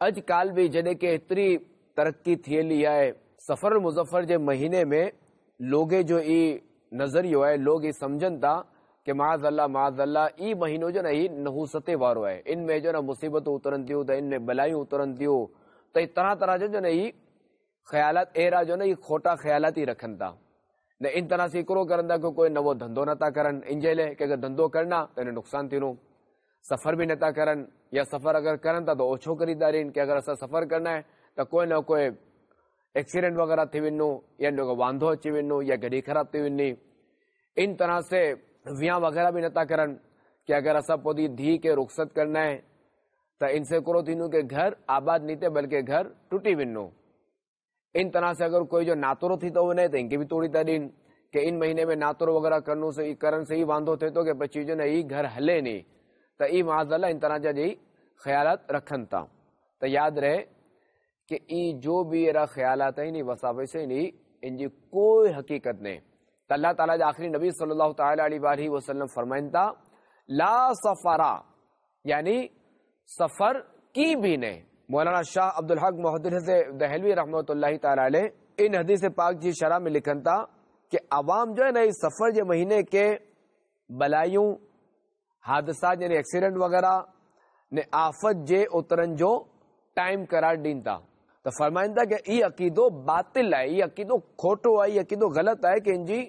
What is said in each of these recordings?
اڄ ڪالهه به جڏهن ڪي ايتري ترقي ٿي هلي آهي، صفر المظفر جي مهيني ۾ لوگي جو ئي نظريو آهي، لوگ ئي سمجهن ٿا ڪي معاذ الله معاذ الله ئي مهينو جو نه هي نحوستي وارو آهي، ان ۾ جو نه مصيبتون اترن ٿيون ته ان ۾ بلايون اترن ٿيون ته هي طرح طرح جو جو نه هي خيالات اهڙا جو نه هي کوٽا خيالات ئي رکن ٿا نه ان طرح سي هڪڙو ڪرن ٿا ڪي ڪوئي نوو ڌنڌو نٿا ڪرن ان جي لاء ڪي اگر ڌنڌو ڪرنا ته ان نقصان ٿيندو، سفر به نٿا ڪرن يا سفر اگر ڪرن ٿا ته اوڇو ڪري ٿا ڏين ڪي اگر اسان سفر ڪرنا آهي ته ڪوئي نه ڪوئي ايڪسيڊنٽ وغيره ٿي وڃو يا جو وانڌو اچي وڃو يا گڏي خراب ٿي وڃي. ان طرح سي ويان وغيره به نٿا ڪرن ڪي اگر اسان پوء ڌي کي رخصت ڪرنا آهي ته ان سي ڪرو ٿيندو ڪي گهر آباد ني ٿئي بلڪه گهر ٽٽي وڃو. ان طرح سي اگر ڪوئي جو ناترو ٿي ٿو وڃي ته ان کي به توڙي ٿا ڏين ڪي ان مهيني ۾ ناترو وغيره ڪرنو سي ڪرن سي ئي واندو ٿئي ٿو ڪي پچي جو نه هي گهر هلي ني ته اي معاذ الله ان طرح جا جي خيالات رکن ٿا ته ياد رهي ڪي اي جو به اهڙا خيالات آهن اي وساوس آهن اي ان جي ڪوئي حقيقت نه ته الله تعالي جا آخري نبي صلي الله تعالي عليه واله وسلم فرمائن ٿا لا سفرا يعني سفر ڪي به نه. مولانا شاهه عبدالحق محدث دهلوي رحمة الله تعالٰي عليه ان حديث پاڪ جي شرح ۾ لکن ٿا ڪي عوام جو آهي نه سفر جي مهيني کي بلايون، حادثات يعني ايڪسيڊنٽ وغيره ني آفت جي اترن جو ٽائيم قرار ڏين ٿا ته فرمائن ٿا ڪي اي عقيدو باطل آهي، اي عقيدو کوٽو آهي، اي عقيدو غلط آهي ڪي ان جي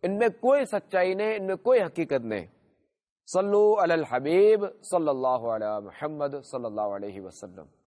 ان ۾ ڪوئي سچائي نه، ان ۾ ڪوئي حقيقت نه. صلو علی الحبيب صلي الله علي محمد صلي الله عليه وسلم.